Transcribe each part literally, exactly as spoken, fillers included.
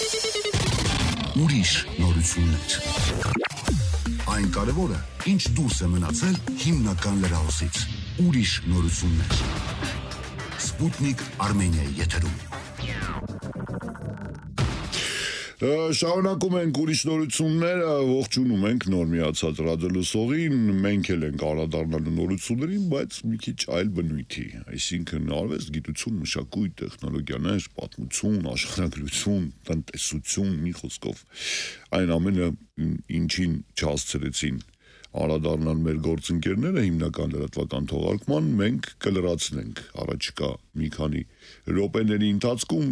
Ուրիշ նորություններ։ Այն կարևորը, ինչ դուրս է մնացել հիմնական լրահոսից։ Ուրիշ նորություններ։ Սպուտնիկ Արմենիայի եթերում։ Շարունակում ենք ուրիշ նորությունները, ողջունում ենք նոր միացած ռադիոլսողին, մենք էլ ենք անդրադառնալու նորություններին, բայց մի քիչ այլ բնույթի, այսինքն արվեստ, գիտություն, մշակույթ, տեխնոլոգիաներ, պատմություն, աշխարհագրություն, տնտեսություն, մի խոսքով այն ամենը, ինչին չհասցրեցին անդրադառնալ մեր գործընկերները հիմնական լրատվական թողարկման, մենք կլրացնենք առաջիկա մի քանի րոպեների ընթացքում,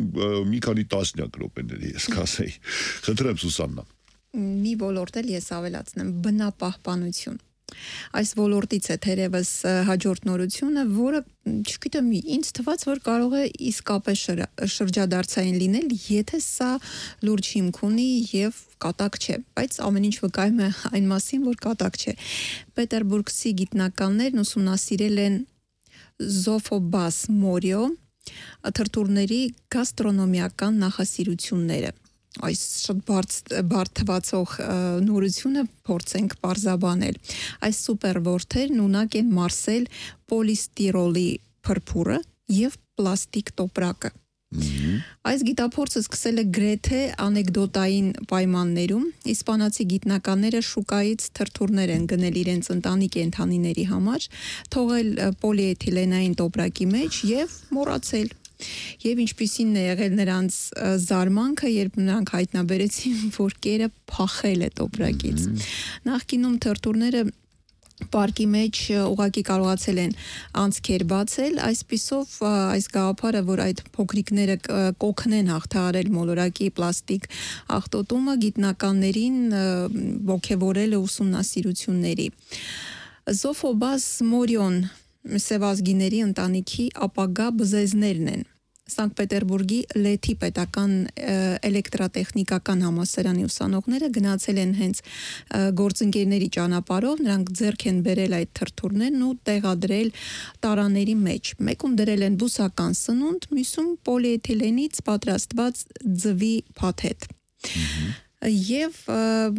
մի քանի տասնյակ րոպեների, ես կասեի։ Խնդրեմ Սուսաննա։ Մի ոլորտ էլ ես ավելացնեմ, բնապահպանություն։ Այս ոլորտից է թերևս հաջորդ նորությունը, որը, չգիտեմ, ինձ թվաց, որ կարող է իսկապես շրջադարձային լինել, եթե սա լուրջ հիմք ունի եւ կատակ չէ, բայց ամեն ինչ վկայում է այն մասին, որ կատակ չէ։ Պետերբուրգցի գիտնականներն ուսումնասիրել են Զոֆոբաս մորիո թրթուրների գաստրոնոմիական նախասիրությունները։ Այս շատ բարդ թվացող նորությունը փորձենք պարզաբանել։ Այս սուպեր որդերն ունակ են մարսել պոլիստիրոլի փրփուրը եւ պլաստիկ տոպրակը։ Այս գիտափորձը սկսել է գրեթե անեկդոտային պայմաններում։ Իսպանացի գիտնականները շուկայից թրթուրներ են գնել իրենց ընտանի կենդանիների համար, թողել պոլիէթիլենային տոպրակի մեջ եւ մոռացել։ Եվ ինչպիսին է եղել նրանց զարմանքը, երբ նրանք հայտնաբերեցին, որ կերը փախել է տոպրակից։ Նախկինում թրթուրները պարկի մեջ ուղղակի կարողացել են անցքեր բացել, այսպիսով այս գաղափարը, որ այդ փոքրիկները կօգնեն հաղթահարել մոլորակի պլաստիկ աղտոտումը, գիտնականներին ոգևորել է ուսումնասիրությունների։ Զոֆոբաս մորիոն սևազգիների ընտանիքի ապագա բզեզներն են։ Սանկտ Պետերբուրգի Լեթի պետական էլեկտրատեխնիկական համալսարանի ուսանողները գնացել են հենց գործընկերների ճանապարհով, նրանք ձեռք են բերել այդ թրթուրներն ու տեղադրել տարաների մեջ։ Մեկում դրել են բուսական սնունդ, մյուսում պոլիէթիլենից պատրաստված ձվի փաթեթ։ Եվ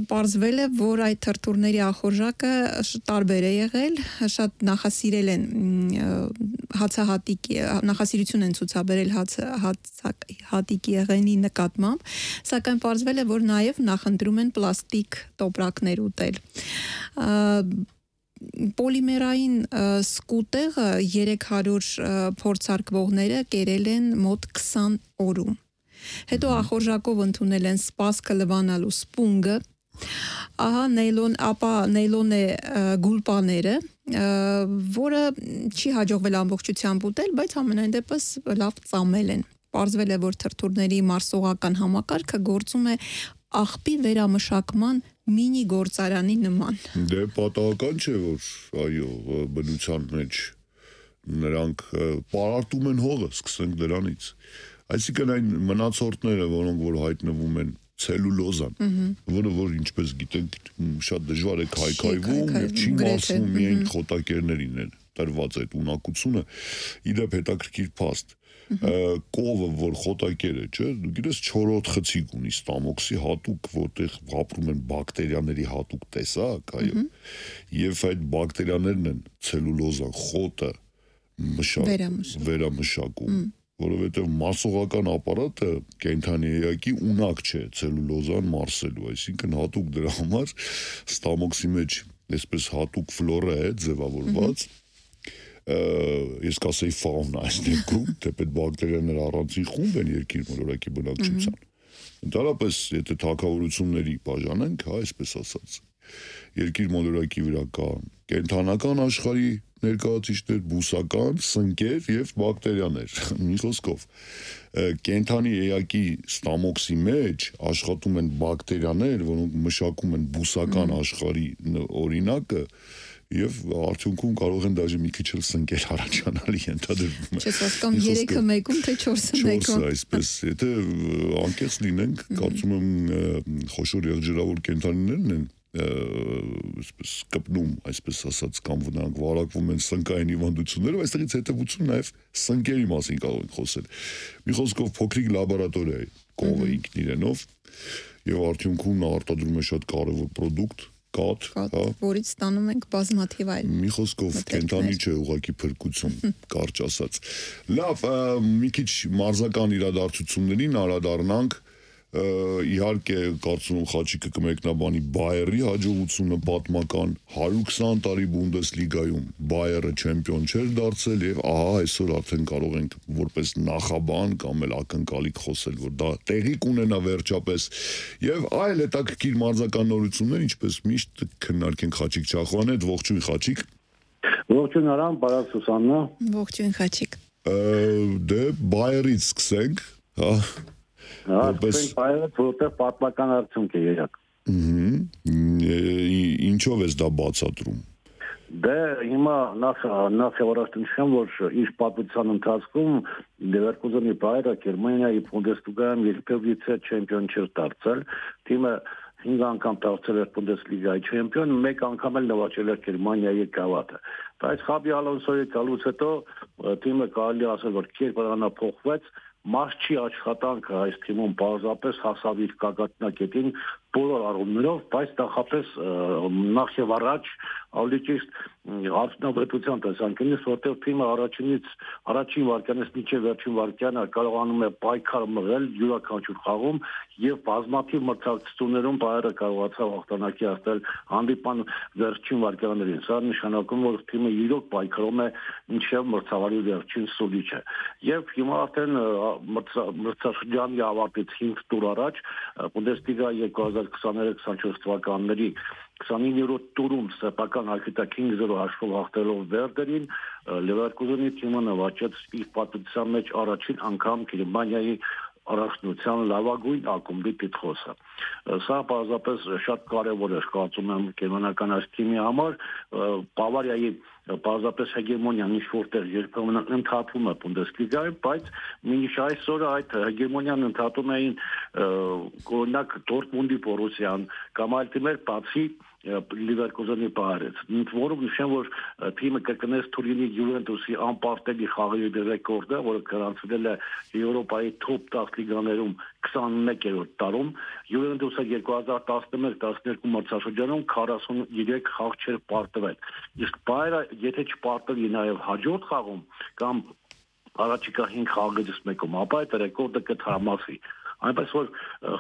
պարզվել է, որ այդ թրթուրների ախորժակը տարբեր է եղել, շատ նախասիրել են հացահատիկի, նախասիրություն են ցուցաբերել հացահատիկի եղենի նկատմամբ, սակայն պարզվել է, որ նաև նախընտրում են պլաստիկ տոպրակներ ուտել։ Պոլիմերային սկուտեղը երեք հարյուր փորձարկվողները կերել են մոտ քսան օրում։ Հետո ախորժակով ընդունել են սպասքը լվանալու սպունգը, ահա նեյլոն, ապա նեյլոն է գուլպաները, որը չի հաջողվել ամբողջությամբ ուտել, բայց ամենայն դեպս լավ ծամել են։ Պարզվել է, որ թրթուրների մարսողական համակարգը գործում է աղբի վերամշակման մինի գործարանի նման։ Դե պատահական չէ, որ այո, բնության մեջ նրանք պարարտում են հողը, սկսենք դրանից։ Այսինքն այն մնացորդները, որոնք որ հայտնվում են ցելուլոզան, որը որ ինչպես գիտենք շատ դժվար է քայքայվում եւ չի մարսվում միայն խոտակերներին են տրված այդ ունակությունը, իդեպ հետաքրքիր փաստ։ Կովը, որ խոտակեր է, չէ, դու գիտես չորրորդ խցիկ ունի ստամոքսի հատուկ, որտեղ ապրում են բակտերիաների հատուկ տեսակ, այո, եւ այդ բակտերիաներն են ցելուլոզան, խոտը վերամշակում, որովհետև մարսողական ապարատը կենդանի էակի ունակ չէ ցելուլոզան մարսելու, այսինքն հատուկ դրա համար ստամոքսի մեջ այսպես հատուկ ֆլորա է ձևավորված, ես կասեի ֆաունա այս դեպքում, թեպետ բակտերիաները առանձին խումբ են երկիր մոլորակի բնակչության։ Ընդհանրապես, եթե թագավորությունների բաժանենք, հա, այսպես ասած, երկիր մոլորակի վրա կա կենդանական աշխարհի ներկայացուցիչներ, բուսական, սնկեր եւ բակտերիաներ։ Մի խոսքով, կենդանի էակի ստամոքսի մեջ աշխատում են բակտերիաներ, որոնք մշակում են բուսական աշխարհի օրինակը եւ արդյունքում կարող են դաժե մի քիչ էլ սնկեր առաջանալ ենթադրվում է։ Չես հասկանում երեքը մեկում թե չորսը մեկում։ Չորսը այսպես, եթե անկեղծ լինենք, կարծում եմ խոշոր եղջերավոր կենդանիներն են այսպես կպնում, այսպես ասած, կամ նրանք վարակվում են սնկային հիվանդություններով, այստեղից հետևություն նաև սնկերի մասին կարող ենք խոսել։ Մի խոսքով փոքրիկ լաբորատորիա է, կովը ինքն իրենով եւ արդյունքում նա արտադրում է շատ կարևոր պրոդուկտ կաթ, հա, որից ստանում ենք բազմաթիվ այլ։ Մի խոսքով կենթանի չէ, ուղղակի փրկություն, կարճ ասած։ Լավ, մի քիչ մարզական իրադարձություններին անդրադառնանք, իհարկե կարծում եմ Խաչիկը կմեկնաբանի Բայերի հաջողությունը պատմական հարյուր քսան տարի Բունդեսլիգայում Բայերը չեմպիոն չէր դարձել եւ ահա այսօր արդեն կարող ենք որպես նախաբան կամ էլ ակնկալիք խոսել, որ դա տեղի կունենա վերջապես եւ այլ հետաքրքիր մարզական նորություններ, ինչպես միշտ քննարկենք Խաչիկ Չախոյանի հետ, ողջույն Խաչիկ։ Ողջույն Արամ, բարև Սուսաննա։ Ողջույն Խաչիկ։ Դե Բայերից սկսենք, հա։ Հա, սկսենք Բայերից, որտեղ պատմական արդյունք է երակ։ Ինչով ես դա բացատրում։ Դե հիմա նախ նախ առաջնորդեմ, որ իր պատմության ընթացքում Լևերկուզենի Բայերը Գերմանիայի Բունդեսլիգայում երբևէ չեմպիոն չէր դարձել։ Թիմը հինգ անգամ դարձել էր Բունդեսլիգայի չեմպիոն, մեկ անգամ էլ նվաճել էր Գերմանիայի գավաթը։ Բայց Խաբի Ալոնսոյի գալուց հետո թիմը կարելի ասել, որ կերպարանափոխվեց, մարզչի աշխատանքը այս թիմում բարձրապես հասավ իր գագաթնակետին բոլոր առումներով, բայց նախապես նախ եւ առաջ ավելի ճիշտ արդյունավետության տեսանկյունից, որտեղ թիմը առաջինից առաջին վարքյանից մինչև վերջին վարքյանը կարողանում է պայքար մղել յուրաքանչյուր խաղում եւ բազմաթիվ մրցակցություններում Բայերը կարողացավ հաղթանակի հասնել հանդիպան վերջին վարքյաններին։ Սա նշանակում որ թիմը իրոք պայքարում է մինչև մրցավարի վերջին սուլիչը։ Եվ հիմա արդեն մրցաշրջանի ավարտից հինգ տուր առաջ Բունդեսլիգա երկու հազար քսաներեք քսանչորս թվականների քսանիններորդ տուրում սեփական ակիտակ հինգ զիրո հաշվով հաղթելով Վերդերին, Լևերկուզենի թիմը նվաճեց իր պատմության մեջ առաջին անգամ Գերմանիայի առաջնության լավագույն ակումբի տիտղոսը։ Սա պարզապես շատ կարևոր է, կարծում եմ, գերմանական այս թիմի համար, Բավարիայի պարզապես հեգեմոնիան ինչ որտեղ երբեմն ընդհատվում է Բունդեսլիգայում, բայց մինչ այսօր այդ հեգեմոնիան ընդհատում էին օրինակ Դորտմունդի Բորուսիան կամ այլ թիմեր, բացի Լիվերկուզենի Բայերից։ Որում նշեմ, որ թիմը կրկնեց Թուրինի Յուվենտուսի անպարտելի խաղերի ռեկորդը, որը գրանցվել է Եվրոպայի թոփ տասը լիգաներում քսանմեկերորդ տարում։ Յուվենտուսը երկու հազար տասնմեկ տասներկու մրցաշրջանում քառասուններեք խաղ չէր պարտվել։ Իսկ Բայերը եթե չպարտվի նաև հաջորդ խաղում կամ առաջիկա հինգ խաղերից մեկում, ապա այդ ռեկորդը կթարմացվի։ Այնպես որ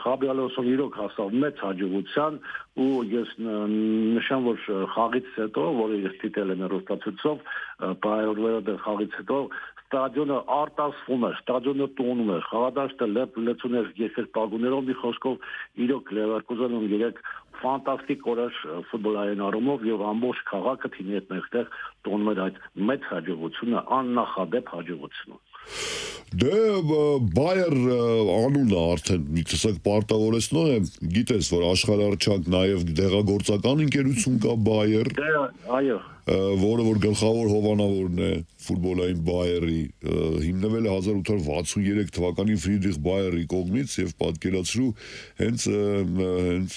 Խաբի Ալոնսոն իրոք հասավ մեծ հաջողության ու ես նշեմ, որ խաղից հետո, որը ես դիտել եմ հեռուստացույցով, Բայերը խաղից հետո ստադիոնը արտասվում էր, ստադիոնը տոնում էր, խաղադաշտը լեցուն էր երկրպագուներով, մի խոսքով իրոք Լևերկուզենում երեք ֆանտաստիկ օրեր ֆուտբոլային առումով եւ ամբողջ քաղաքը թիմի հետ մեկտեղ տոնում էր այդ մեծ հաջողությունը, աննախադեպ հաջողությունը։ Դե Բայեր անունը արդեն մի տեսակ պարտավորեցնող է, գիտես, որ աշխարհարչակ նաև դեղագործական ընկերություն կա Բայեր։ Դե այո, որը որ գլխավոր հովանավորն է ֆուտբոլային Բայերի, հիմնվել է հազար ութ հարյուր վաթսուներեք թվականին Ֆրիդրիխ Բայերի կողմից եւ պատկերացրու հենց հենց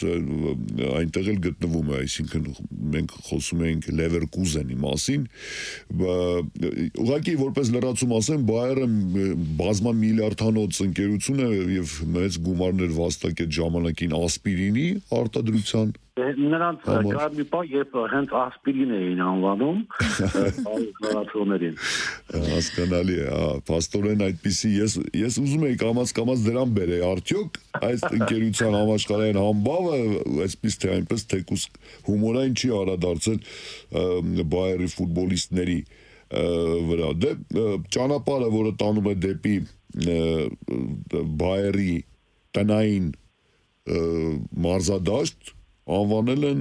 այնտեղ էլ գտնվում է, այսինքն մենք խոսում ենք Լևերկուզենի մասին, ուղղակի որպես լրացում ասեմ, Բայերը բազմամիլիարդանոց ընկերություն է եւ մեծ գումարներ վաստակեց ժամանակին ասպիրինի արտադրության Նրանց կարմի պա երբ հենց ասպիրին էին անվանում խաղացողներին։ Հասկանալի է, փաստորեն այդպիսի ես ես ուզում եի կամաց-կամաց դրան բերեի, արդյոք այս ընկերության համաշխարհային համբավը այսպես թե այնպես թեկուս հումորային չի արադարձել Բայերի ֆուտբոլիստների վրա։ Դե ճանապարհը, որը տանում է դեպի Բայերի տնային մարզադաշտ անվանել են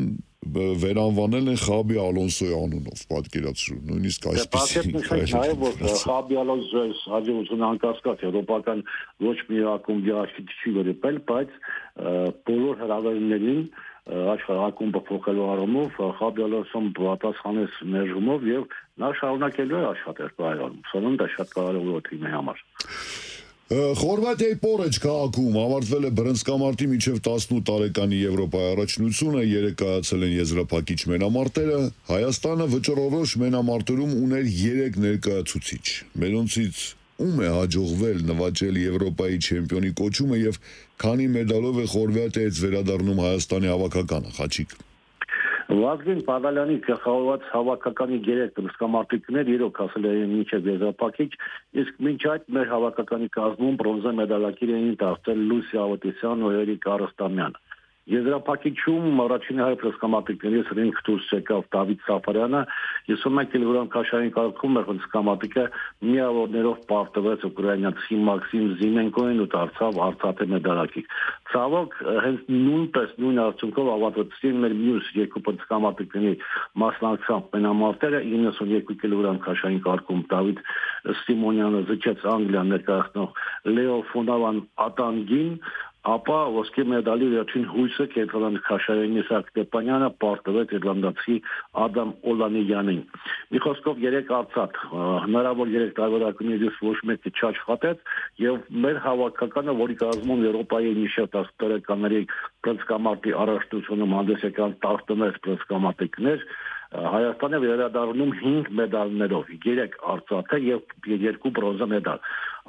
վերանվանել են Խաբի Ալոնսոյի անունով, պատկերացրու, նույնիսկ այսպեսի նաև որ Խաբի Ալոնսոյի հաջողությունը անկասկած եվրոպական ոչ մի ակումբի աշխարհի չի վերապել, բայց բոլոր հրավերներին աշխարհակումբը փոխելու առումով Խաբի Ալոնսոն պատասխանեց ներժումով եւ նա շարունակելու է աշխատել Բայերում։ Սովորաբար դա շատ կարևոր է թիմի համար։ Խորվաթիայի Պորեջ քաղաքում ավարտվել է բռնցքամարտի մինչև տասնութ տարեկանի Եվրոպայի առաջնությունը, երեկ կայացել են եզրափակիչ մենամարտերը, Հայաստանը վճռորոշ մենամարտերում ուներ երեք ներկայացուցիչ, մերոնցից ում է հաջողվել նվաճել Եվրոպայի չեմպիոնի կոչումը եւ քանի մեդալով է Խորվաթիայից վերադառնում Հայաստանի հավաքականը, Խաչիկ։ Վազգեն Պադալյանի գլխավորված հավաքականի երեք բռնցքամարտիկներ իրոք հասել էին մինչև եզրափակիչ, իսկ մինչ այդ մեր հավաքականի կազմում բրոնզե մեդալակիր էին դարձել Լուսիա Ավետիսյանն ու Էրիկ Արստամյանը։ Եզրափակիչում առաջին հայ բռնցքամարտիկներից ռինգ դուրս եկավ Դավիթ Սաֆարյանը, հիսունմեկ կիլոգրամ քաշային կարգում մեր բռնցքամարտիկը միավորներով պարտվեց ուկրաինացի Մաքսիմ Զիմենկոին ու դարձավ արծաթե մեդալակիր։ Ցավոք, հենց նույնպես նույն արդյունքով ավարտվեցին մեր մյուս երկու բռնցքամարտիկների մասնակցությամբ մենամարտերը իննսունյոթ կիլոգրամ քաշային կարգում Դավիթ Սիմոնյանը զիջեց Անգլիա ներկայացնող Լեո Ֆոնավան Ատանգին, ապա ոսկե մեդալի վերջին հույսը կենտրոնական քաշայինի Իսահակ Ստեփանյանը պարտվեց իռլանդացի Ադամ Օլանիյանին։ Մի խոսքով երեք արծաթ, հնարավոր երեք տարբերակներից ոչ մեկը չաշխատեց եւ մեր հավաքականը, որի կազմում Եվրոպայի միշտ տասը տարեկանների բռնցքամարտի առաջնությունում հանդես եկան տասնմեկ բռնցքամարտիկներ, Հայաստանը վերադառնում հինգ մեդալներով, երեք արծաթե եւ երկու բրոնզե մեդալ։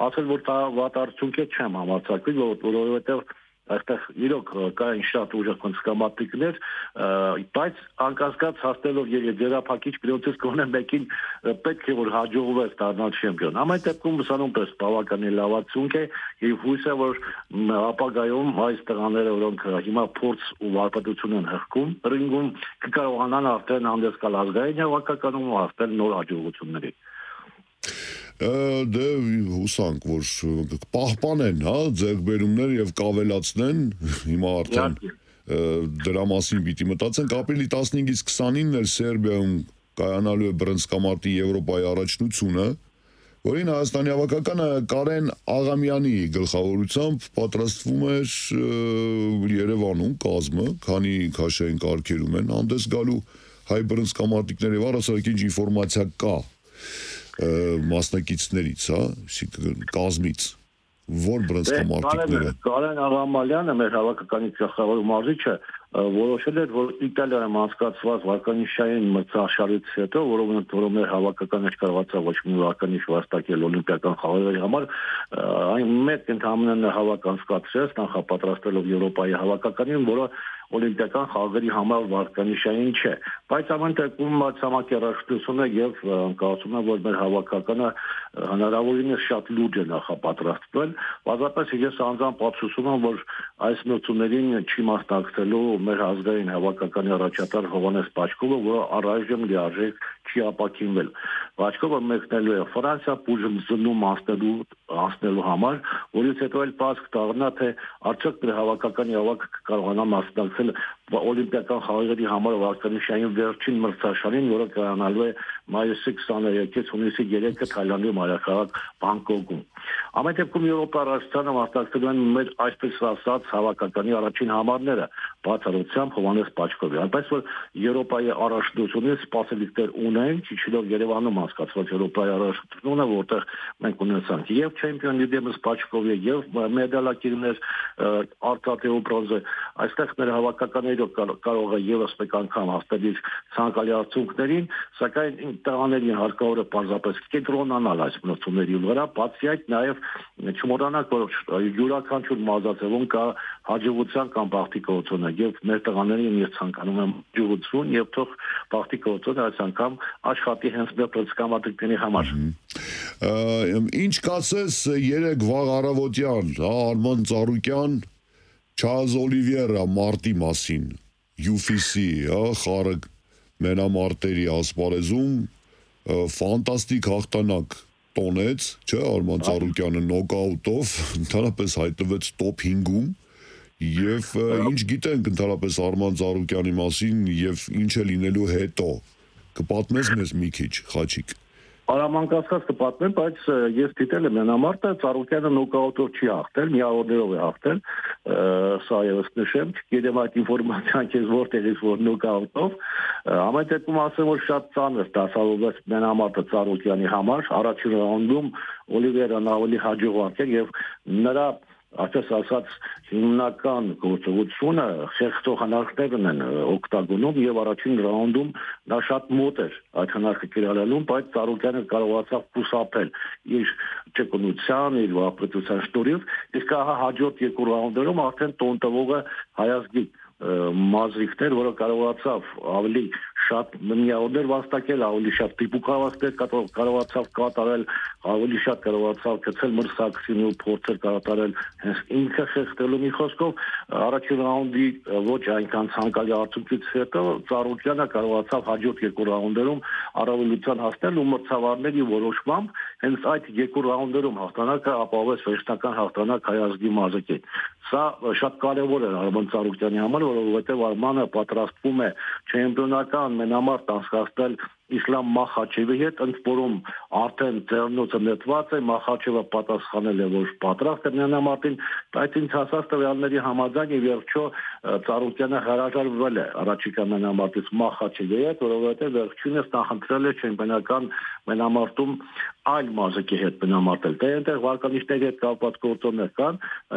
Ասել որ դա վատ արդյունք է չեմ համարձակվի, որովհետեւ այստեղ իրոք կային շատ ուժեղ բռնցքամարտիկներ, բայց անկասկած հասնելով եզրափակիչ գրոցից կողմը մեկին պետք է որ հաջողվեց դառնալ չեմպիոն։ Ամեն դեպքում ուսանումպես բավականին լավ արդյունք է եւ հույս է որ ապագայում այս տղաները, որոնք հիմա փորձ ու վարպետություն են հղկում ռինգում, կկարողանան արդեն հանդես գալ ազգային հավաքականում ու հասնել նոր հաջողությունների։ Դե հուսանք, որ պահպանեն, հա, ձեռքբերումներ եւ կավելացնեն, հիմա արդեն դրա մասին պիտի մտածենք, ապրիլի տասնհինգից քսանինն էլ Սերբիայում կայանալու է բռնցքամարտի Եվրոպայի առաջնությունը, որին Հայաստանի հավաքականը Կարեն Աղամյանի գլխավորությամբ պատրաստվում էր Երևանում կազմը, քանի քաշային կարգերում են հանդես գալու հայ բռնցքամարտիկների եւ առասարակ ինչ ինֆորմացիա կա մասնակիցներից, հա, կազմից, որ բռնցքամարտիկները։ Կարեն Աղամալյանը, մեր հավաքականի գլխավոր մարզիչը, որոշել էր, որ Իտալիայում անցկացված վարկանիշային մրցաշարից հետո, որովհետև որով մեր հավաքականը չկարողացավ ոչ մի վարկանիշ վաստակել օլիմպիական խաղերի համար, այն մեկ ընդհանրապես հավաք անցկացրեց, նախապատրաստելով Եվրոպայի հավաքականին, որը օլիմպիական խաղերի համար վարկանիշային չէ, բայց ամեն դեպքում մրցանակի առաջնությունը եւ կարծում եմ որ մեր հավաքականը հնարավորինս շատ լուրջ է նախապատրաստվել, բացապես ես անձամբ ափսոսում եմ որ այս մրցումներին չի մասնակցելու մեր ազգային հավաքականի առաջատար Հովհաննես Պաչկովը, որը առայժմ լիարժեք չի ապաքինվել։ Պաչկովը մեկնելու է Ֆրանսիա բուժում անցնելու անցնելու համար, որից հետո էլ պարզ կդառնա թե արդյոք մեր հավաքականի հավաքը կկարողանա մասնակցել օլիմպիական խաղերի համար վարկանիշային վերջին մրցաշարին, որը կայանալու է մայիսի քսաներեքից հունիսի երեքը Թայլանդի մայրաքաղաք Բանգկոկում։ Ամեն դեպքում Եվրոպա առաջնությանը մասնակցելու են մեր այսպես ասած հավաքականի առաջին համարները, բացառությամբ Հովհաննես Պաչկովի։ Այնպես որ Եվրոպայի առաջնությունից սպասելիքներ ունեն, ճիշտով Երևանում անցկացված Եվրոպայի առաջնությունը, որտեղ մենք ունեցանք եւ չեմպիոնի դեմս Պաչկովի եւ մեդալակիրներ արծաթե ու բրոնզե, այստեղ մեր հավաքականները կարող է եւս մեկ անգամ հասնել ցանկալի արդյունքներին, սակայն տղաներին հարկավոր է պարզապես կենտրոնանալ այս մրցումների վրա, բացի այդ նաեւ չմոռանանք, որ յուրաքանչյուր մարզաձևում կա հաջողության կամ բախտի կորցոնը եւ մեր տղաներին ես ցանկանում եմ հաջողություն եւ թող բախտի կորցոնը այս անգամ աշխատի հենց մեր բռնցքամարտիկների համար։ Ինչ կասես երեք վաղ առավոտյան, հա, Արման Ծառուկյան, Չարլզ Օլիվիերա մարտի մասին, յու էֆ սի, հա, խաղը մենամարտերի ասպարեզում ֆանտաստիկ հաղթանակ տոնեց, չէ, Արման Ծառուկյանը նոկաուտով ընդհանրապես հայտնվեց տոփ հինգում եւ ինչ գիտենք ընդհանրապես Արման Ծառուկյանի մասին եւ ինչ է լինելու հետո կպատմես մեզ մի քիչ, Խաչիկ։ Արամանկասկած կպատմեմ, բայց ես դիտել եմ մենամարտը, Ծառուկյանը նոկաուտով չի հաղթել, միավորներով է հաղթել, սա եւս նշեմ, չգիտեմ այդ ինֆորմացիան քեզ որտեղից որ նոկաուտով, ամեն դեպքում ասեմ որ շատ ծանր դասավորվեց մենամարտը Ծառուկյանի համար, առաջին ռաունդում Օլիվիերան ավելի հաջող էր եւ նրա ասես ասած հիմնական գործողությունը խեղճող հնարքներն են օգտագոնում եւ առաջին ռաունդում նա շատ մոտ էր այդ հնարքը կիրառելուն, բայց Ծառուկյանը կարողացավ խուսափել իր ճկունության, իր վարպետության շնորհիվ, իսկ ահա հաջորդ երկու ռաունդերում արդեն տոն տվողը Հայազգի Մազրիքներ, որը կարողացավ ավելի շատ միավորներ վաստակել, ավելի շատ տիպուկավաստեր կարողացավ կատարել, ավելի շատ կարողացավ գցել մրցակցին ու փորձեր կատարել հենց ինքը խեղդելու մի խոսքով առաջին ռաունդի ոչ այնքան ցանկալի արդյունքից հետո Ծառուկյանը կարողացավ հաջորդ երկու ռաունդերում առավելության հասնել ու մրցավարների որոշմամբ հենց այդ երկու ռաունդերում հաղթանակը ապահովեց վերջնական հաղթանակ Հայազգի Մազրիկին։ Սա շատ կարևոր է Արման Ծառուկյանի համար, որովհետև Արմանը պատրաստվում է չեմպիոնական մենամարտ անցկացնել Իսլամ Մախաչևի հետ, ընդ որում արդեն ձեռնոցը նետված է, Մախաչևը պատասխանել է, որ պատրաստ է մենամարտին, բայց ինձ հասած տվյալների համաձայն ի վերջո Ծառուկյանը հրաժարվել է առաջիկա մենամարտից Մախաչևի հետ, որովհետև վերջինս նախընտրել է չեմպիոնական մենամարտում այլ Մազրիկի հետ մենամարտել։ Դե այնտեղ վարկանիշների հետ կապված գործոններ կան,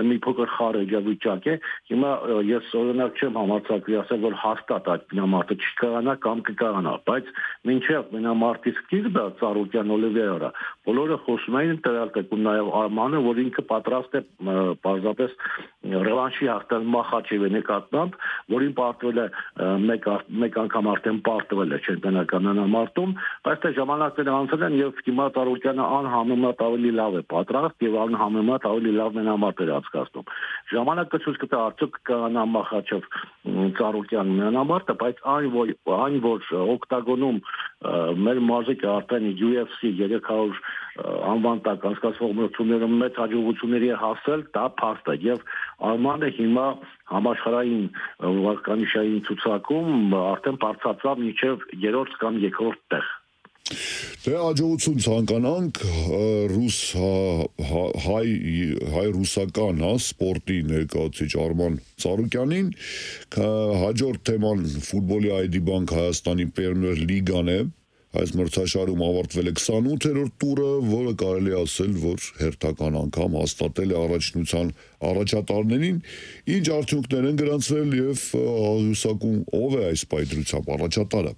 մի փոքր խառը իրավիճակ է։ Հիմա ես օրինակ չեմ համարձակվի ասել, որ հաստատ այդ մենամարտը չկարանա կամ կկարանա, բայց մինչև մենամարտի սկիզբը Ծառուկյան Օլիվիերա բոլորը խոսում էին տվյալ տեկում նաև Արմանը, որ ինքը պատրաստ է պարզապես ռևանշի հաղթել Մախաչևի նկատմամբ, որին պարտվել է մեկ մեկ անգամ արդեն պարտվել է չեմպիոնական մենամարտում, բայց թե ժամանակները անցել են եւ հիմա Ծառուկյանը անհամեմատ ավելի լավ է պատրաստ եւ անհամեմատ ավելի լավ մենամարտ է անցկացնում։ Ժամանակը ցույց կտա արդյոք կկանա Մախաչև Ծառուկյան մենամարտը, բայց այն որ այն որ օկտագոնում մեր մարզիկը արդեն յու էֆ սի երեք հարյուր անվան տակ անցկացվող մրցումներում մեծ հաջողությունների է հասել, դա փաստ է եւ Արմանը հիմա համաշխարհային վարկանիշային ցուցակում արդեն բարձրացավ մինչև երրորդ կամ երկրորդ տեղ։ Դե հաջողություն ցանկանանք ռուս հայ հայ ռուսական հա սպորտի ներկայացուցիչ Արման Ծառուկյանին հաջորդ թեման ֆուտբոլի այ դի Bank Հայաստանի Պերմիեր լիգան է այս մրցաշարում ավարտվել է քսանութերորդ տուրը, որը կարելի է ասել, որ հերթական անգամ հաստատել է առաջնության առաջատարներին, ինչ արդյունքներ են գրանցվել եւ հուսակում ով է այս պայծրությամբ առաջատարը։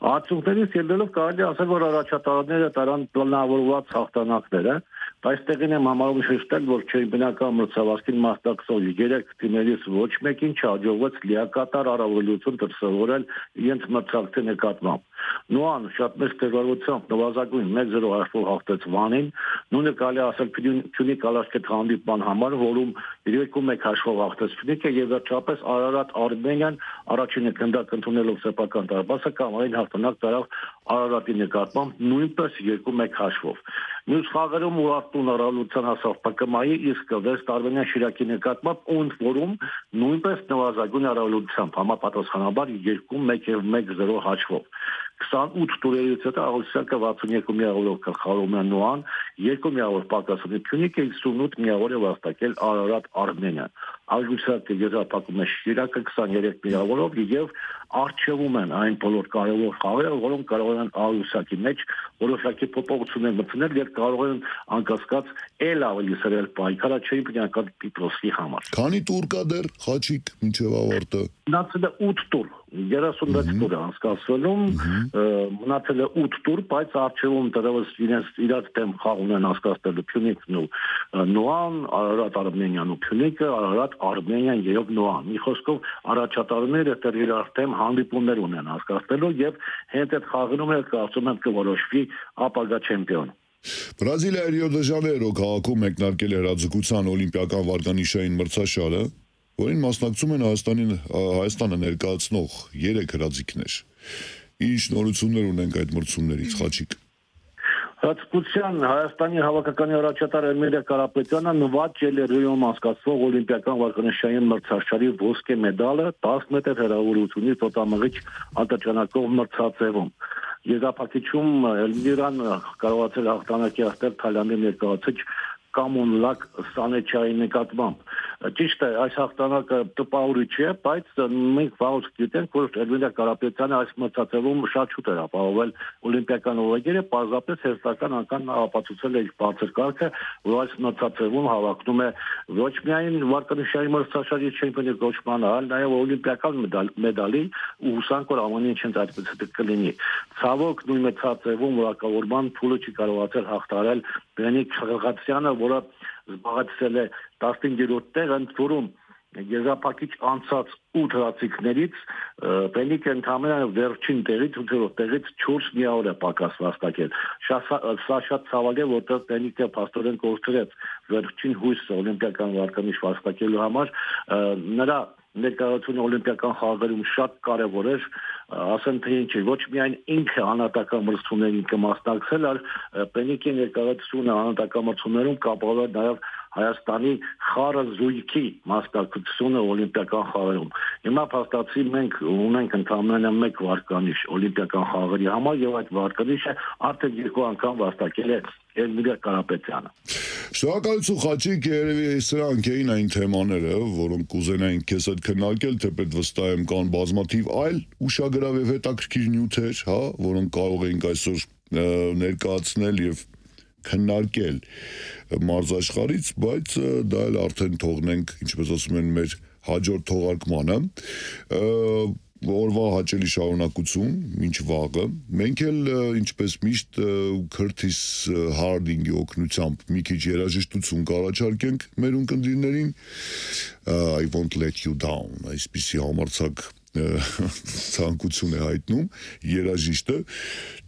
Արդյունքներից ելնելով կարելի ասել, որ առաջատարները տարան պլանավորված հաղթանակները, բայց տեղին եմ համարում շեշտել, որ չեմպիոնական մրցավազքին մասնակցող երեք թիմերից ոչ մեկին չհաջողվեց լիակատար առավելություն դրսևորել իրենց մրցակցի նկատմամբ։ Նոան շատ մեծ տևարությամբ նվազագույն մեկ զիրո հաշվով հաղթեց Վանին, նույնը կարելի ասել Փյունիկ Ալաշկետ հանդիպման համար, որում երկու մեկ հաշվով հաղթեց Փյունիկը եւ վերջապես Արարատ Արմենիան առաջինը գնդակ ընդունելով սեփական դարպասը կամային հաղթանակ տարավ Արարատի նկատմամբ նույնպես երկու մեկ հաշվով։ Մյուս խաղերում Ուրարտուն առավելության հասավ Պ Կ Մ-ի, իսկ Վեստ Արմենիա Շիրակի նկատմամբ ընդ որում նույնպես նվազագույն առավելությամբ համապատասխանաբար երկու մեկ եւ մեկ զիրո հաշվով։ քսանութ տուրերից հետո Աղյուսակը վաթսունյոթ միավորով գլխավորում է Նոան, երկու միավոր պակաս ունի Փյունիկը, հիսունութ միավոր է վաստակել Արարատ Արմենիան։ Աղյուսակը եզրափակում է Շիրակը քսաներեք միավորով եւ արժևում են այն բոլոր կարևոր խաղերը, որոնք կարող են Աղյուսակի մեջ որոշակի փոփոխություններ մտցնել եւ կարող են անկասկած ել ավելի սրել պայքարը չեմպիոնական տիտղոսի համար։ Քանի տուր կա դեռ Խաչիկ մինչեւ ավարտը։ Մնացել է ութ տուր, երեսունվեց տուր է անցկացվելում, մնացել է ութ տուր, բայց արժևում դեռևս իրենց իրաց դեմ խաղ ունեն անցկացնելու Փյունիկն ու Նոան, Արարատ Արմենիան ու Փյունիկը, Արարատ Արմենիան եւ Նոան։ Մի խոսքով առաջատարները դեռ իրար դեմ հանդիպումներ ունեն անցկացնելու եւ հենց այդ խաղերում էլ կարծում եմ կորոշվի ապագա չեմպիոն։ Բրազիլիայի Ռիո դե Ժանեյրո քաղաքում մեկնարկել է հրաձգության օլիմպիական վարկանիշային մրցաշարը, որին մասնակցում են Հայաստանի Հայաստանը ներկայացնող երեք հրաձիգներ։ Ինչ նորություններ ունենք այդ մրցումներից, Խաչիկ։ Հատկության Հայաստանի հավաքականի առաջատար Էմիլիա Կարապետյանը նվաճել է Ռիոյում անցկացվող օլիմպիական վարկանիշային մրցաշարի ոսկե մեդալը դես մետր հեռավորությունից տոտամղիչ արտաճանակով մրցածևում։ Եզրափակիչում Էլմիրան կարողացել հաղթանակի հասնել Թայլանդի ներկայացուցիչ կամոնլակ Սանեչյանի նկատմամբ։ Ճիշտ է, այս հաղթանակը տպավորիչ է, բայց մենք վաղուց գիտենք, որ Էրմինե Կարապետյանը այս մրցաշրջանում շատ շուտ էր ապահովել օլիմպիական օրենքերը, պարզապես հերթական անգամ ապացուցել է իր բարձր կարգը, որ այս մրցաշրջանում հավակնում է ոչ միայն վարկանիշային մրցաշարի չեմպիոնի կոչմանը, այլ նաև օլիմպիական մեդալի ու հուսանք, որ ամեն ինչ այդպես կլինի։ Ցավոք նույն մրցաշրջանում որակավորման փուլը չի կարողացել հաղթահարել Բենիկ Խղղացյանը, որը զբաղեցրել է տասնհինգերորդ տեղը, ընդ որում եզրափակիչ անցած ութ հրացիկներից Բենիկը ընդամենը վերջին տեղից ութերորդ տեղից չորս միավոր է պակաս վաստակել։ Սա շատ ցավալի է, որտեղ Բենիկը փաստորեն կորցրեց վերջին հույսը օլիմպիական վարկանիշ վաստակելու համար, նրա ներկայությունը օլիմպիական խաղերում շատ կարևոր էր, ասեմ թե ինչ, ոչ միայն ինքը անհատական մրցումներին կմասնակցել, այլ Բենիկի ներկայությունը անհատական մրցումներում կապահովել նաև Հայաստանի խառը զույգի մասնակցությունը օլիմպիական խաղերում։ Հիմա փաստացի մենք ունենք ընդամենը մեկ վարկանիշ օլիմպիական խաղերի համար եւ այդ վարկանիշը արդեն երկու անգամ վաստակել է Էրմինե Կարապետյանը։ Շնորհակալություն Խաչիկ, երևի սրանք էին այն թեմաները, որոնք կուզենային քեզ հետ քննարկել, թեպետ վստահ եմ կան բազմաթիվ այլ ուշագրավ եւ հետաքրքիր նյութեր, հա, որոնք կարող էինք այսօր ներկայացնել եւ քննարկել մարզաշխարհից, բայց դա էլ արդեն թողնենք, ինչպես ասում են, մեր հաջորդ թողարկմանը։ Օրվա հաճելի շարունակություն, մինչ վաղը։ Մենք էլ, ինչպես միշտ, Քրթիս Հարդինգի օգնությամբ մի քիչ երաժշտություն կառաջարկենք մեր ունկնդիրներին, I won't let you down, այսպիսի համարձակ ցանկություն է հայտնում երաժիշտը,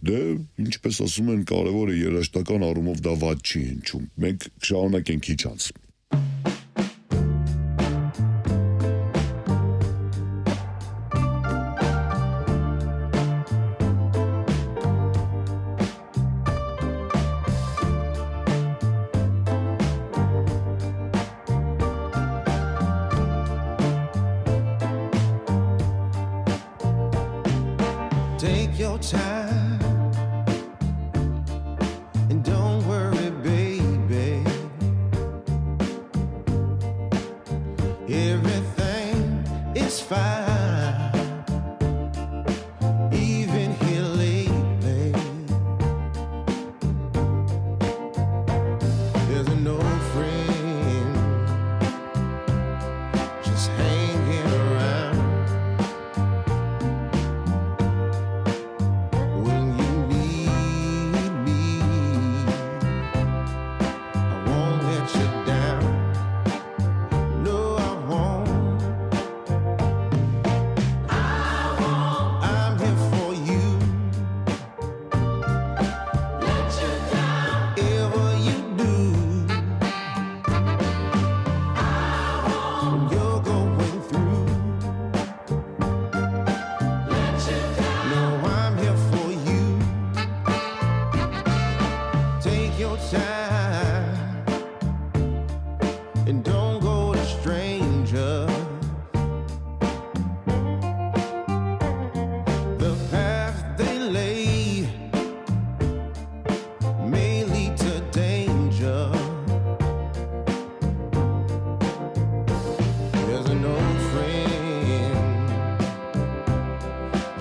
դե ինչպես ասում են, կարևոր է երաժշտական առումով դա վատ չի հնչում։ Մենք շարունակենք քիչ անց։ Take your time and don't worry, baby. Everything is fine, even here lately. There's no friend just hanging around.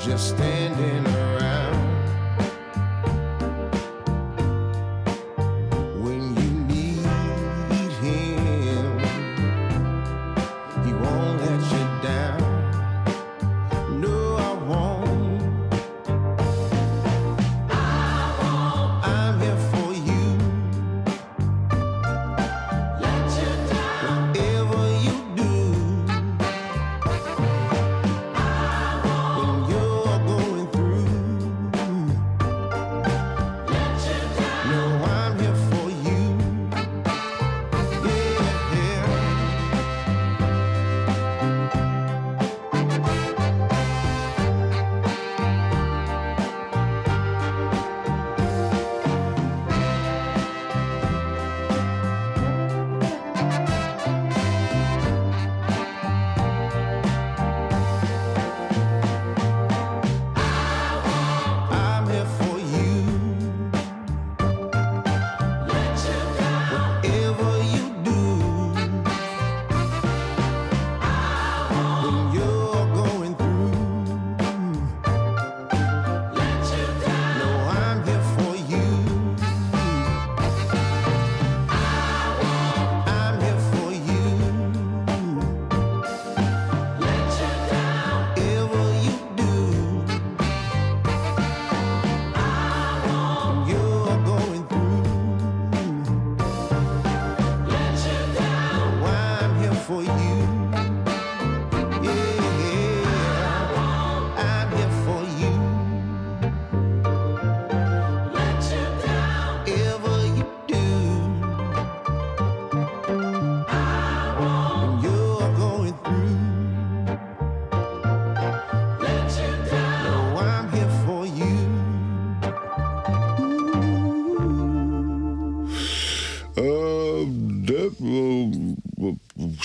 Just standing around when you need him, he won't let you down. No, I won't. I won't. I'm here for you. Let you down. Whatever you do. When you're going through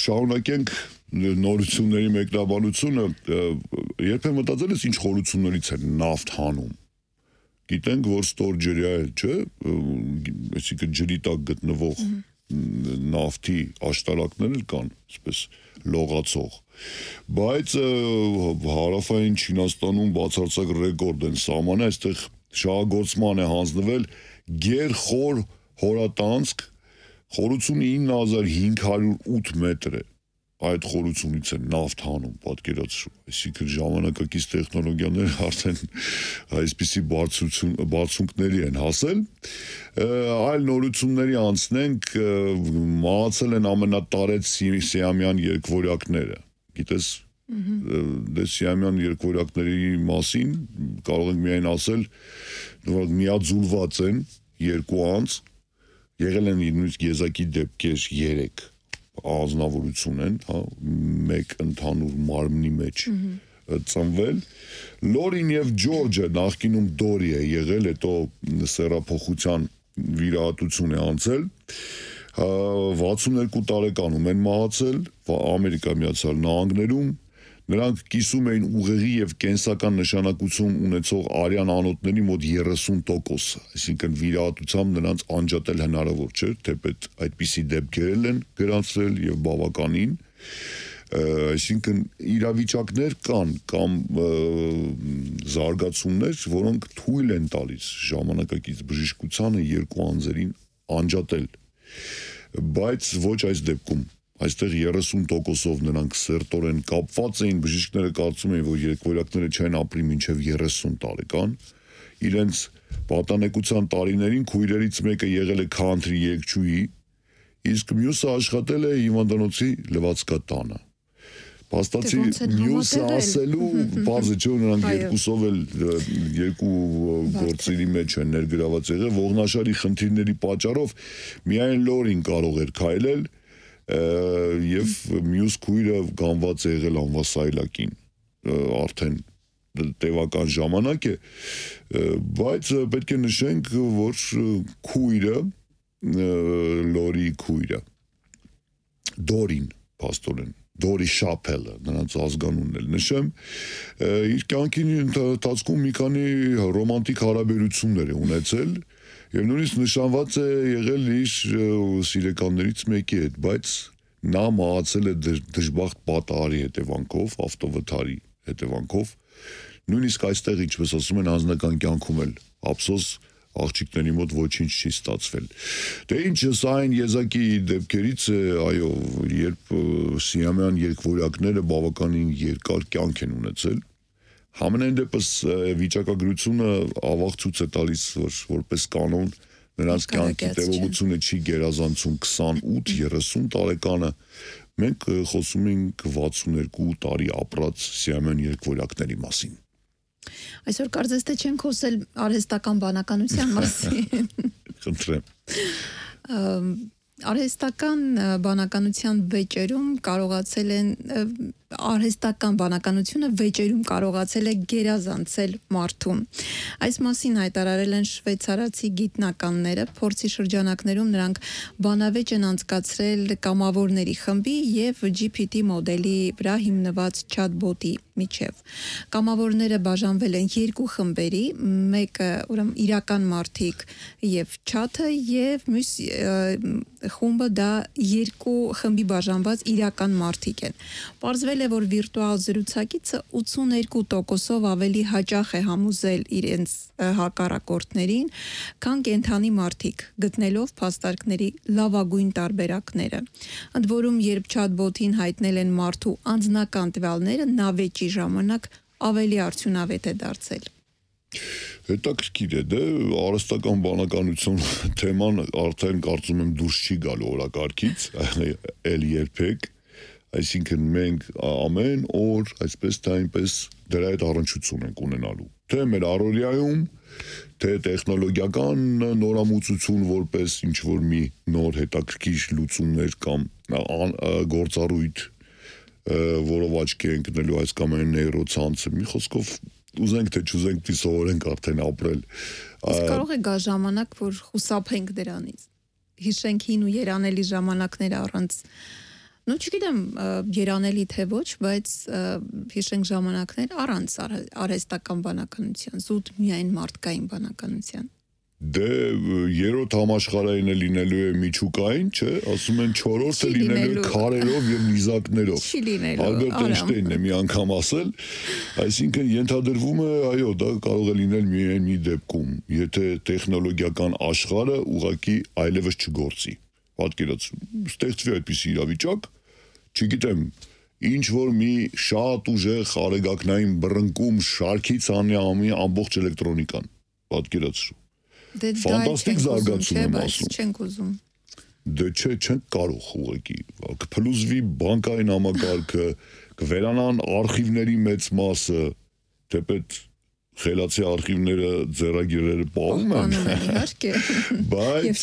շարունակենք նորությունների մեկնաբանությունը, երբեմն մտածել ես ինչ խորություններից է նավթ հանում։ Գիտենք, որ ստորջրյա է, չէ, այսինքն ջրի տակ գտնվող նավթի աշտարակներ կան, այսպես լողացող։ Բայց հարավային Չինաստանում բացարձակ ռեկորդ են սահմանը, այստեղ շահագործման է հանձնվել գերխոր հորատանցք, խորությունը ինը հազար հինգ հարյուր ութ մետր է, այդ խորությունից է նավթ հանում, պատկերացրու, այսինքն ժամանակակից տեխնոլոգիաներ արդեն այսպիսի բարձունքների են հասել, այլ նորությունների անցնենք, մահացել են ամենատարեց սիամյան երկվորյակները, գիտես, դե սիամյան երկվորյակների մասին կարող ենք միայն ասել, որ միաձուլված են երկու անձ, եղել են նույնիսկ եզակի դեպքեր երեք, ազնվորություն են, հա, մեկ ընդհանուր մարմնի մեջ ծնվել։ Լորին եւ Ջորջը նախկինում Դորի է եղել, հետո սեռափոխության վիրահատություն է անցել, վաթսուներկու տարեկանում են մահացել Ամերիկա Միացյալ Նահանգներում, նրանք կիսում էին ուղեղի եւ կենսական նշանակություն ունեցող արյան անոթների մոտ երեսուն տոկոս, այսինքն վիրահատությամբ նրանց անջատել հնարավոր չէր, թեպետ այդպիսի դեպքեր են գրանցվել եւ բավականին, այսինքն իրավիճակներ կան կամ զարգացումներ, որոնք թույլ են տալիս ժամանակակից բժշկությանը երկու անձերին անջատել, բայց ոչ այս դեպքում Այստեղ երեսուն տոկոսով նրանք սերտորեն կապված էին, բժիշկները կարծում էին, որ երկվորյակները չեն ապրի մինչև երեսուն տարեկան, իրենց պատանեկության տարիներին քույրերից մեկը եղել է քանթրի երգչուհի, իսկ մյուսը աշխատել է հիվանդանոցի լվացկատանը։ Փաստացի մյուսը ասելու, բարձր չէ, նրանք երկուսով էլ երկու գործերի մեջ են ներգրաված եղել, ողնաշարի խնդիրների պատճառով միայն Լորին կարող էր քայլել, եւ մյուս քույրը գանված է եղել անվասայլակին արդեն տևական ժամանակ է, բայց պետք է նշենք, որ քույրը, Լորի քույրը, Դորին, փաստորեն, Դորի Շապելը, նրանց ազգանունն էլ նշեմ, իր կյանքի ընթացքում մի քանի ռոմանտիկ հարաբերություններ է ունեցել, եւ նույնիսկ նշանված է եղել իր սիրեկաններից մեկի հետ, բայց նա մահացել է դժբախտ պատահարի հետևանքով, ավտովթարի հետևանքով, նույնիսկ այստեղ, ինչպես ասում են, անձնական կյանքում էլ ափսոս աղջիկների մոտ ոչինչ չի ստացվել։ Դե ինչ, սա այն եզակի դեպքերից է, այո, երբ սիամյան երկվորյակները բավականին երկար կյանք են ունեցել, Համենայն դեպս վիճակագրությունը ավաղ ցույց է տալիս, որ որպես կանոն նրանց կյանքի տևողությունը չի գերազանցում քսանութ երեսուն տարեկանը, մենք խոսում ենք վաթսուներկու տարի ապրած սիամյան երկվորյակների մասին։ Այսօր կարծես թե չենք խոսել արհեստական բանականության մասին։ Խնդրեմ։ Արհեստական բանականության վեճերում կարողացել են արհեստական բանականությունը վեճերում կարողացել է գերազանցել մարդուն։ Այս մասին հայտարարել են շվեյցարացի գիտնականները, փորձի շրջանակներում նրանք բանավեճ են անցկացրել կամավորների խմբի եւ G P T մոդելի վրա հիմնված chatbot-ի միջև։ Կամավորները բաժանվել են երկու խմբերի, մեկը ուրեմն իրական մարդիկ եւ chat-ը եւ մյուս խումբը դա երկու խմբի բաժանված իրական մարդիկ են։ Պարզվել է, որ վիրտուալ զրուցակիցը ութսուներկու տոկոսով ավելի հաճախ է համոզել իրենց հակառակորդներին, քան կենդանի մարդիկ, գտնելով փաստարկների լավագույն տարբերակները։ Ընդ որում, երբ chatbot-ին հայտնել են մարդու անձնական տվյալները, նա վեճի ժամանակ ավելի արդյունավետ է դարձել։ Հետաքրքիր է, դե արհեստական բանականություն թեման արդեն կարծում եմ դուրս չի գալու օրակարգից, էլ երբեք, այսինքն մենք ամեն օր այսպես թե այնպես դրա հետ առնչություն ենք ունենալու, թե մեր առօրյայում, թե տեխնոլոգիական նորամուծություն որպես ինչ-որ մի նոր հետաքրքիր լուծումներ կամ գործառույթ, որով աչքի ենք ընկնելու այս կամ այն նեյրոցանցը, մի խոսքով ուզենք թե չուզենք դի սովորենք արդեն ապրել։ Իսկ կարող է գա ժամանակ, որ խուսափենք դրանից։ Հիշենք հին ու երանելի ժամանակներ առանց Ну չգիտեմ երանելի թե ոչ, բայց հիշենք ժամանակներ առանց արհեստական բանականության, զուտ միայն մարդկային բանականության։ Դե երրորդ համաշխարհային է լինելու է միջուկային, չէ, ասում են չորրորդը լինելու է քարերով եւ նիզակներով։ Չի լինելու։ Ալբերտ Էյնշտեյնն է մի անգամ ասել, այսինքն ենթադրվում է, այո, դա կարող է լինել միայն մի դեպքում, եթե տեխնոլոգիական աշխարհը ուղղակի այլևս չգործի։ Պատկերացրու, ստեղծվի այդպիսի իրավիճակ, չգիտեմ, ինչ որ մի շատ ուժեղ արեգակնային բռնկում շարքից անի ամի ամբողջ էլեկտրոնիկան։ Պատկերացրու։ Դե Ֆանտաստիկ զարգացում եմ ասում։ Չենք ուզում։ Դե չէ, չենք կարող ուղղակի։ Կփլուզվի բանկային համակարգը, կվերանան արխիվների մեծ մասը, թեպետ խելացի արխիվները ձեռագիրները պահում են, իհարկե, բայց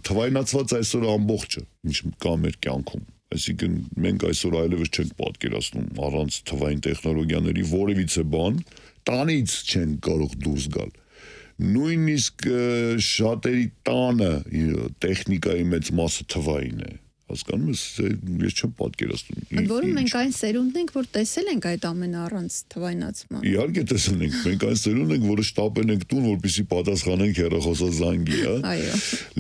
թվայնացված այսօր ամբողջը, ինչ կա մեր կյանքում։ Այսինքն մենք այսօր այլևս չենք պատկերացնում առանց թվային տեխնոլոգիաների որևիցե բան, տանից չենք կարող դուրս գալ։ Նույնիսկ շատերի տանը տեխնիկայի մեծ մասը թվային է։ Հասկանում ես, ես չեմ պատկերացնում։ Ընդ որում մենք այն սերունդն ենք, որ տեսել ենք այդ ամենը առանց թվայնացման։ Իհարկե տեսել ենք, մենք այն սերունդն ենք, որը շտապել ենք տուն, որպեսզի պատասխանենք հեռախոսազանգի, հա։ Այո։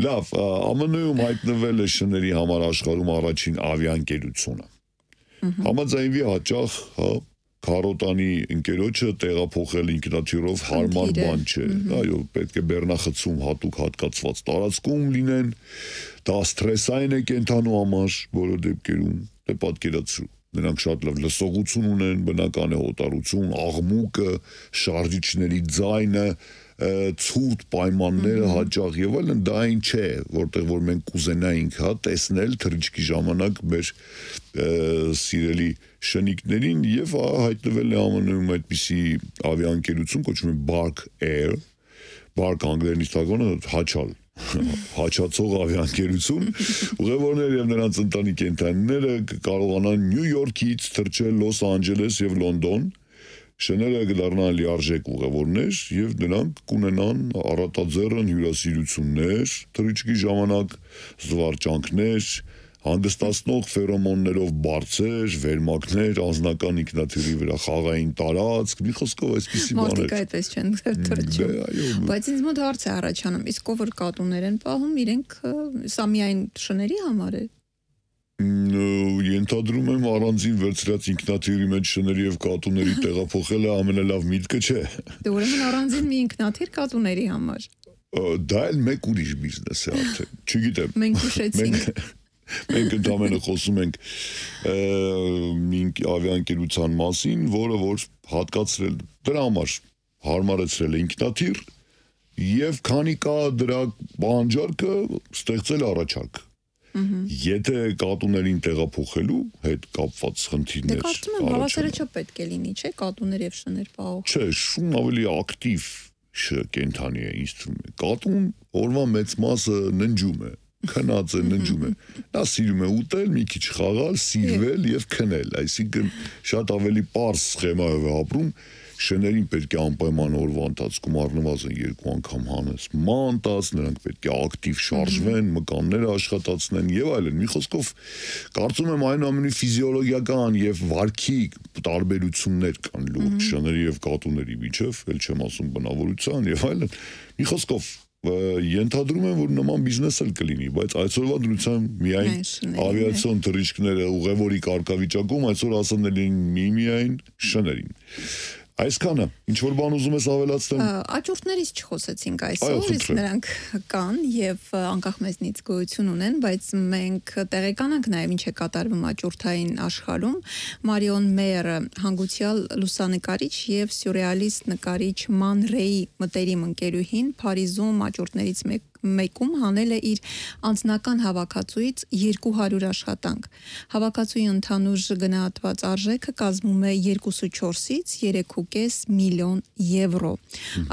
Լավ, Ամն Ը-ում հայտնվել է շների համար աշխարհում առաջին ավիաընկերությունը։ Համաձայնվի հաճախ, հա, քարոտանի ընկերոջը տեղափոխել ինքնաթիռով հարմար բան չէ։ Այո, պետք է բեռնախցում հատուկ հատկացված տարածքում լինեն, դա սթրեսային է կենթանու համար բոլոր դեպքերում, դե պատկերացրու։ Նրանք շատ լավ լսողություն ունեն, բնական է հոտառություն, աղմուկը, շարժիչների ձայնը, ցուրտ պայմանները հաճախ եւ այլն, դա այն չէ, որտեղ որ մենք կուզենայինք, հա, տեսնել թռիչքի ժամանակ մեր սիրելի շնիկներին եւ հայտնվել է Ամն Ը-ում այդպիսի ավիաընկերություն, կոչվում է Bark Air, Bark անգլերենից թարգմանը հաչալ, հաչացող ավիաընկերություն, ուղևորները եւ նրանց ընտանիք կենդանիները կարողանան Նյու Յորքից թռչել Լոս Անջելես եւ Լոնդոն, շները կդառնան լիարժեք ուղևորներ եւ նրանք կունենան առատաձեռն հյուրասիրություններ, թռիչքի ժամանակ զվարճանքներ, հանգստացնող ֆերոմոններով բարձր, վերմակներ, անձնական ինքնաթիռի վրա խաղային տարածք, մի խոսքով այսպիսի բաներ։ Մարդիկ այդպես չեն թռչում։ Բայց ինձ մոտ հարց է առաջանում, իսկ ով որ կատուներ են պահում, իրենք սա միայն շների համար է։ Ենթադրում եմ առանձին վերցրած ինքնաթիռի մեջ շների եւ կատուների տեղափոխելը ամենալավ միտքը չէ։ Դե ուրեմն առանձին մի ինքնաթիռ կատուների համար։ Դա էլ մեկ ուրիշ բիզնես է արդեն։ Չգիտեմ։ Մենք հուշեցինք։ Մենք ընդամենը խոսում ենք մի ավիաընկերության մասին, որը որ հատկացրել դրա համար հարմարեցրել է ինքնաթիռ եւ քանի կա դրա բանջարքը ստեղծել առաջարկ։ Եթե կատուներին տեղափոխելու հետ կապված խնդիրներ։ Դե կարծում եմ հավասարը չէ պետք է լինի, չէ՞, կատուներ եւ շներ պահող։ Չէ, շուն ավելի ակտիվ կենդանի է ինձ թվում է։ Կատուն օրվա մեծ մասը ննջում է, քնած է, ննջում է։ Նա սիրում է ուտել, մի քիչ խաղալ, սիրվել եւ քնել, այսինքն շատ ավելի པարզ սխեմայով է ապրում։ Շներին պետք է անպայման օրվա ընթացքում առնվազն երկու անգամ հանես ման տաս, նրանք պետք է ակտիվ շարժվեն, մկանները աշխատացնեն եւ այլն։ Մի խոսքով կարծում եմ այնուամենի ֆիզիոլոգիական եւ վարքի տարբերություններ կան լուրջ շների եւ կատուների միջեւ, ել չեմ ասում բնավորության եւ այլն։ Մի խոսքով ենթադրում եմ, որ նման բիզնես էլ կլինի, բայց այսօրվա դրությամբ միայն ավիացիոն թռիչքները ուղևորի կարգավիճակում այսօր ասանել են միմիայն շներին։ Այսքանը, ինչ որ բան ուզում ես ավելացնել։ Աճուրդներից չխոսեցինք այսօր, իսկ նրանք կան եւ անկախ մեզնից գոյություն ունեն, բայց մենք տեղեկանանք նաեւ ինչ է կատարվում աճուրդային աշխարհում։ Մարիոն Մեյերը հանգուցյալ լուսանկարիչ եւ սյուրռեալիստ նկարիչ Ման Ռեյի մտերիմ ընկերուհին Փարիզում աճուրդներից մեկ մեկում հանել է իր անձնական հավաքածուից երկու հարյուր աշխատանք։ Հավաքածուի ընդհանուր գնահատված արժեքը կազմում է երկուսը չորսից երեք ու կես միլիոն եվրո։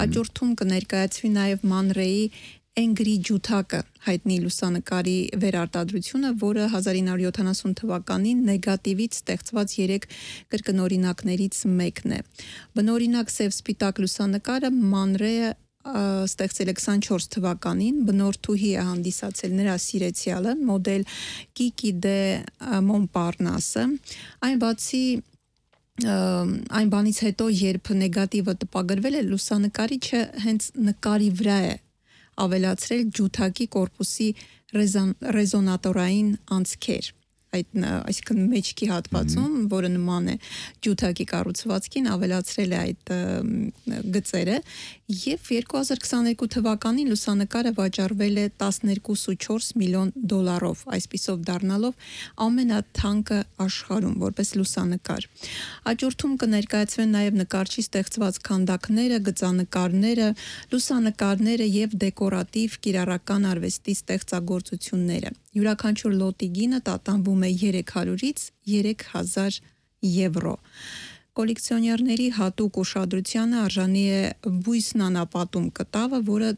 Աճուրդում կներկայացվի նաև Ման Ռեյի Էնգրի ջութակը, հայտնի լուսանկարի վերարտադրությունը, որը հազար ինը հարյուր յոթանասուն թվականին նեգատիվից ստեղծված երեք կրկնօրինակներից մեկն է։ Բնօրինակ սև սպիտակ լուսանկարը Ման Ռեյը ստեղծել է քսանչորս թվականին, բնորդուհի է հանդիսացել նրա սիրեցյալը, մոդել Կիկի դե Մոնպարնասը, այն բացի այն բանից հետո, երբ նեգատիվը տպագրվել է, լուսանկարիչը հենց նկարի վրա է ավելացրել ջութակի կորպուսի ռեզոնատորային անցքեր, այդ այսինքն մեջքի հատվածում, որը նման է ջութակի կառուցվածքին, ավելացրել է այդ գծերը, եւ երկու հազար քսաներկու թվականին լուսանկարը վաճառվել է տասներկու կoma չորս միլիոն դոլարով, այսպիսով դառնալով ամենաթանկը աշխարհում որպես լուսանկար։ Հաջորդում կներկայացվեն նաեւ նկարչի ստեղծված քանդակները, գծանկարները, լուսանկարները եւ դեկորատիվ կիրառական արվեստի ստեղծագործությունները։ Յուրաքանչյուր լոտի գինը տատանվում է երեք հարյուրից երեք հազար եվրո։ Կոլեկցիոներների հատուկ ուշադրությանը արժանի է բույսն անապատում կտավը, որը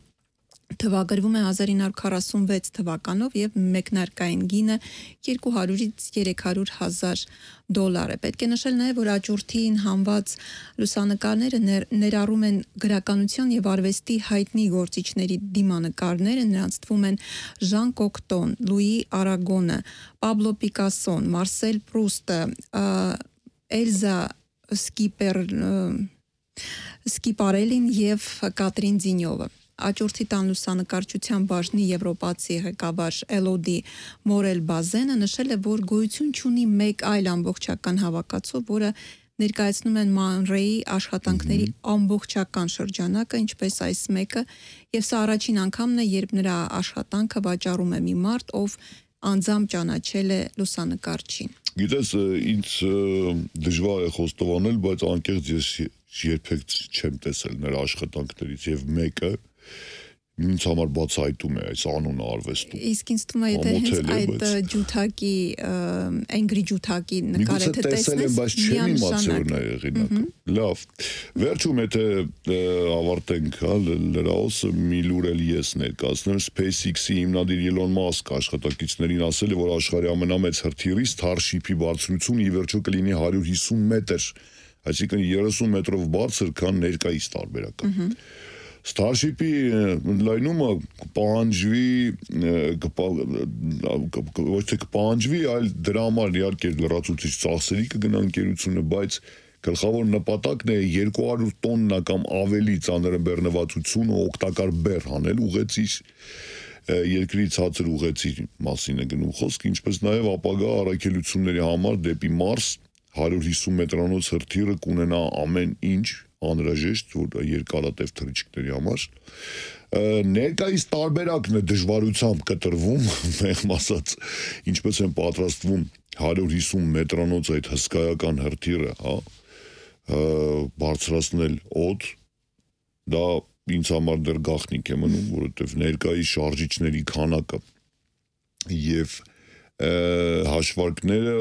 թվագրվում է հազար ինը հարյուր քառասունվեց թվականով եւ մեկնարկային գինը երկու հարյուրից երեք հարյուր հազար դոլար է։ Պետք է նշել նաեւ, որ աճուրդին հանված լուսանկարները ներ, ներառում են գրականության եւ արվեստի հայտնի գործիչների դիմանկարները, նրանց թվում են Ժան Կոկտոն, Լուի Արագոնը, Պաբլո Պիկասոն, Մարսել Պրուստը, Էլզա Սկիպեր Սկիպարելին եւ Կատրին Զինյովը։ Աճուրդի տան լուսանկարչության բաժնի եվրոպացի ղեկավար Էլոդի Մորել Բազենը նշել է, որ գոյություն չունի մեկ այլ ամբողջական հավաքածու, որը ներկայացնում են Մանրեի աշխատանքների ամբողջական շրջանակը, ինչպես այս մեկը, եւ սա առաջին անգամն է, երբ նրա աշխատանքը վաճառում է մի մարդ, ով անձամբ ճանաչել է լուսանկարչին։ Գիտես, ինձ դժվար է խոստովանել, բայց անկեղծ ես երբեք չեմ տեսել նրա աշխատանքներից եւ մեկը ինձ համար բացահայտում է այս անունը արվեստում։ Իսկ ինձ թվում է, եթե հենց այդ ջութակի, Angry ջութակի նկարը թե տեսնես, բայց չեմ իմացել նա եղինակը։ Լավ։ Վերջում եթե ավարտենք, հա, լրահոսը մի լուր էլ ես ներկայացնեմ, SpaceX-ի հիմնադիր Elon Musk աշխատակիցներին ասել է, որ աշխարհի ամենամեծ հրթիռի Starship-ի բարձրությունը ի վերջո կլինի հարյուր հիսուն մետր, այսինքն երեսուն մետրով բարձր, քան ներկայիս տարբերակը։ Starship-ի լայնումը կպահանջվի, ոչ թե կպահանջվի, այլ դրա համար իհարկե լրացուցիչ ծախսերի կգնա ընկերությունը, բայց գլխավոր նպատակն է երկու հարյուր տոննա կամ ավելի ծանրաբեռնվածությունը օգտակար բեռ հանել ուղեցիր երկրի ցածր ուղեցի մասին է գնում խոսք, ինչպես նաև ապագա առաքելությունների համար դեպի Մարս հարյուր հիսուն մետրանոց հրթիռը կունենա ամեն ինչ անհրաժեշտ որ երկարատև թռիչքների համար ներկայիս տարբերակն է դժվարությամբ կտրվում մեղմ ասած ինչպես են պատրաստվում հարյուր հիսուն մետրանոց այդ հսկայական հրթիռը հա բարձրացնել օդ դա ինձ համար դեռ գաղտնիք է մնում որովհետև ներկայիս շարժիչների քանակը եւ հաշվարկները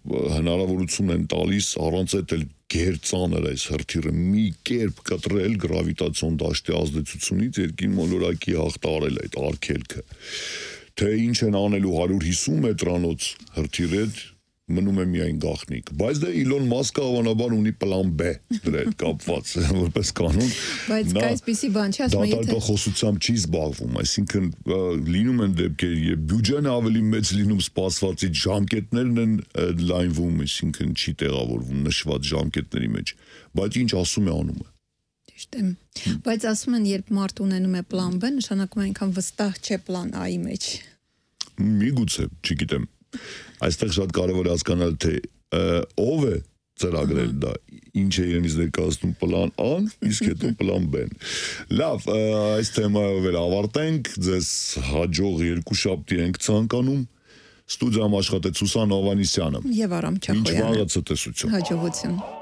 հնարավորություն են տալիս առանց այդ էլ գերծանր այս հրթիռը մի կերպ կտրել գրավիտացիոն դաշտի ազդեցությունից երկին մոլորակի հաղթարել այդ արգելքը թե ինչ են անելու հարյուր հիսուն մետրանոց հրթիռը մնում է միայն գաղտնիք բայց դա Elon Musk-ը հավանաբար ունի պլան B դրա հետ կապված որպես կանոն բայց այսպիսի բան չի ասում եթե դատախոսությամբ չի զբաղվում այսինքն լինում են դեպքեր երբ բյուջեն ավելի մեծ լինում սպասվածից ժամկետներն են լայնվում այսինքն չի տեղավորվում նշված ժամկետների մեջ բայց ինչ ասում է անում է ճիշտ է բայց ասում են երբ մարդ ունենում է պլան B նշանակում է այնքան վստահ չէ պլան A-ի մեջ միգուցե չգիտեմ այստեղ շատ կարևոր է հասկանալ թե ով է ծրագրել դա ինչ է իրենից ներկայացնում պլան A-ն իսկ հետո պլան B-ն լավ այս թեմայով էլ ավարտենք ձեզ հաջող երկու շաբթի ենք ցանկանում ստուդիայում աշխատեց Սուսան Հովհաննիսյանը եւ Արամ Չախոյանը ինչ վաղը ցտեսություն հաջողություն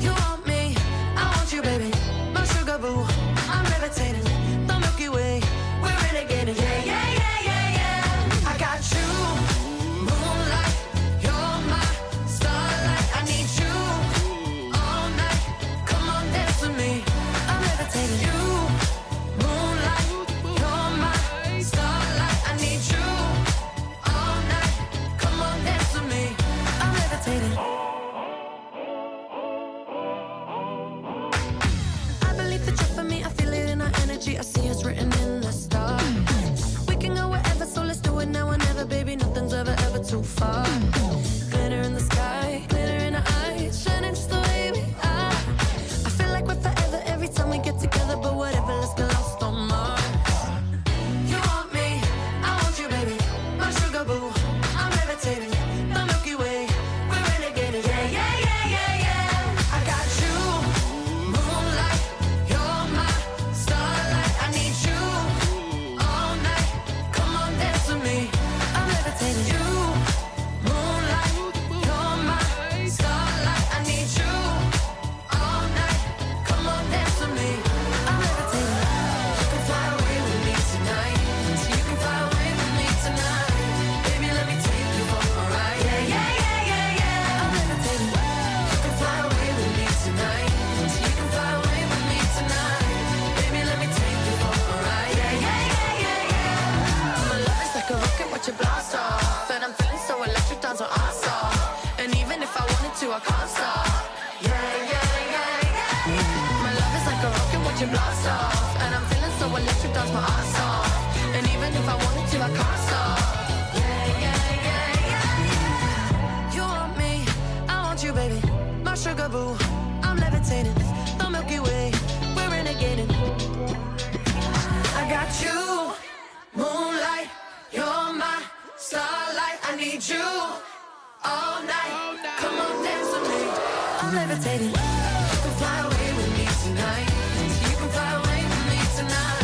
You want me, I want you, baby. My energy, I see us written in the stars. We can go wherever, so let's do it now or never, baby. Nothing's ever, ever too far. Glitter in the sky, glitter in our eyes, shining just the way we are. I feel like we're forever every time we get together, but whatever, let's get lost on Mars. You want me, I want you, baby. My sugar boo, I'm levitating. The Milky Way, we're renegading. Yeah, yeah, yeah, yeah, yeah. I got you, moonlight. You're my starlight. I need you all night. Come on, dance with me. I'm levitating. You, moonlight. You're my starlight. I need you all night. Come on, dance with me. I'm levitating. You can fly away with me tonight. So you can fly away with me tonight. Baby, let me take you for a ride. Yeah, yeah, yeah, yeah, yeah. I'm levitating. You can fly away with me tonight. So you can fly away with me tonight. Baby, let me take you for a ride. Yeah, yeah, yeah, yeah, yeah. My love is like a rocket, watch it blast off. And I'm feeling so electric, dance on our off. And even if I wanted to, I can't stop. Yeah, yeah, yeah, yeah. My love is like a rocket, watch it blast off. And I'm feeling so electric, dance my ass off. And even if I wanted to, I can't stop. Yeah, yeah, yeah, yeah. You want me, I want you, baby. My sugar boo, I'm levitating. The Milky Way, we're renegading. I got you, moonlight. You're my starlight. I need you all night. Come on, dance with me. I'm levitating. You can fly away with me tonight. You can fly away with me tonight.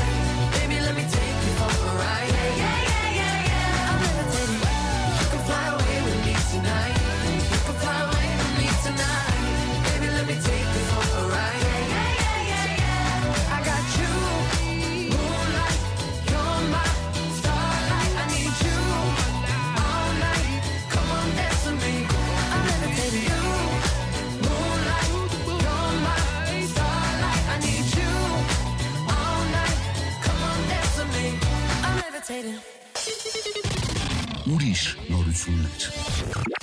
Baby, let me take you for a ride. Yeah, yeah, yeah, yeah, yeah. I'm levitating. You can fly away with me tonight. You can fly away with me tonight. Baby, let me take you for a ride. Yeah, yeah, yeah, yeah, yeah. I got you, moonlight. You're my starlight. I need you all night. Come on, dance with me. I'm levitating. You, moonlight. You're my starlight. I need you all night. Come on, dance with me. I'm levitating. Ուրիշ նորություններ։